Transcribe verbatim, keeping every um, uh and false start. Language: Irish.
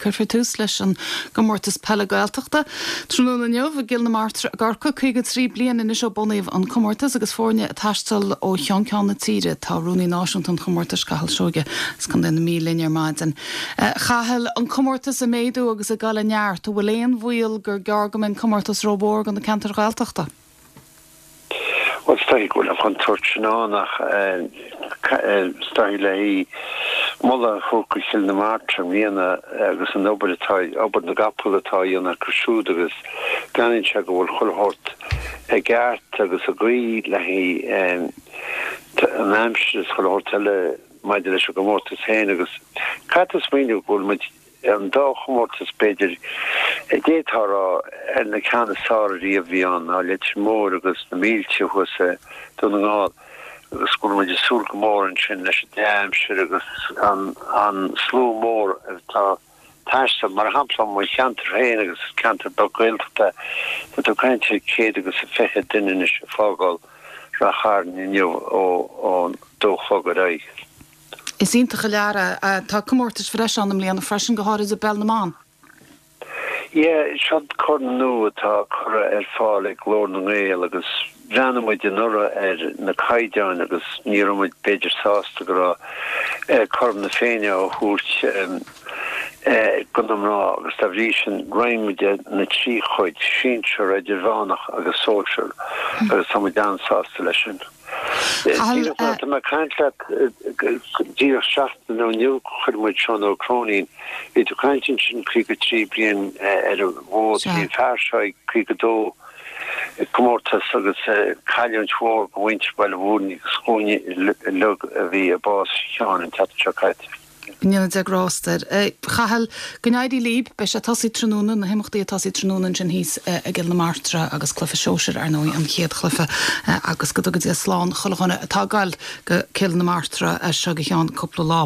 Cuirfear tús leis an gcomórtas peile Gaeltachta. Tráthnóna inniu i gCill na Martra i gCorcaigh caoga trí bliain anois ó bunaíodh an comórtas agus foirne ag taisteal ó cheann ceann na tíre tá rúnaí náisiúnta an chomórtais Cathal Seoige as Contae na Mí linn ar maidin. Cathal an comórtas ag méadú agus ag dul i neart, bhfuil aon bhaol gur gearr go mbeidh an comórtas rómhór do na ceantair Ghaeltachta. Well is dóigh go bhfuil an chontúirt sin ann ach is dóigh le moladh a thabhairt do Chill na Martra i mbliana agus an obair atá obair na gcapall atá á dhéanamh acu siúd agus breathnaíonn sé go bhfuil chuile shórt i gceart agus i gcaoi le haghaidh an aimsir is chuile shórt eile maidir leis an gcomórtas féin agus caithfidh tú smaoineamh go bhfuil muid an dá chomórtas b'fhéidir a d'fhéadfá a rá ar na ceann is fearr ariamh a bhí ann ná Leitir Móir agus na mílte thuas i Dún na nGall agus go bhfuil muid ag súil go mór ansin leis an dea-aimsir agus an an slua mór atá ag taisteal. Mar shampla mo cheantar féin agus is ceantar beag Gaeltachta tá tú ag caint ar céad agus a fiche duine anois ag fágáil Rath Chairn inniu ó ón dó a chlog ar aghaidh. Is iontach an lear é. Tá comórtais bhreise ann i mbliana freisin, go háirid i bpeil na mban. Yeah, seo corn nua atá curtha ar fáil ag Glór na nGael agus bhreathnaigh muid anuraidh ar na caighdeáin agus ní raibh muid b'fhéidir sásta go raibh Corn na Féinne á thabhairt do na mná agus dá bhrí sin roinn muid na trí chuid, sinsear, idirmheánach agus sóisear agus tá muid an-sásta leis sin. Díreach mar atá mé ag caint leat, díreach seachtain ó inniu chuir muid Seán Ó Cróinín, bhí tú ag caint ansin caoga trí bliain ar an bhfód, bhí an fear seo ag caoga dó comórtas agus cailliúint mhór do mhuintir Bhaile Mhúirne agus dhúinne uilig a bhí i bás Sheáin an tseachtain seo caite. Go ndéana Dia grást air. A Chathail, go n-éirí libh, beidh sé ag tosaí tráthnóna, na himeachtaí ag tosaí tráthnóna ansin thíos i gCill na Martra agus cluiche sóisir, ar ndóigh, an chéad chluiche agus go dtuga Dia slán chuile dhuine atá ag goil go Cill na Martra as seo go ceann cúpla lá.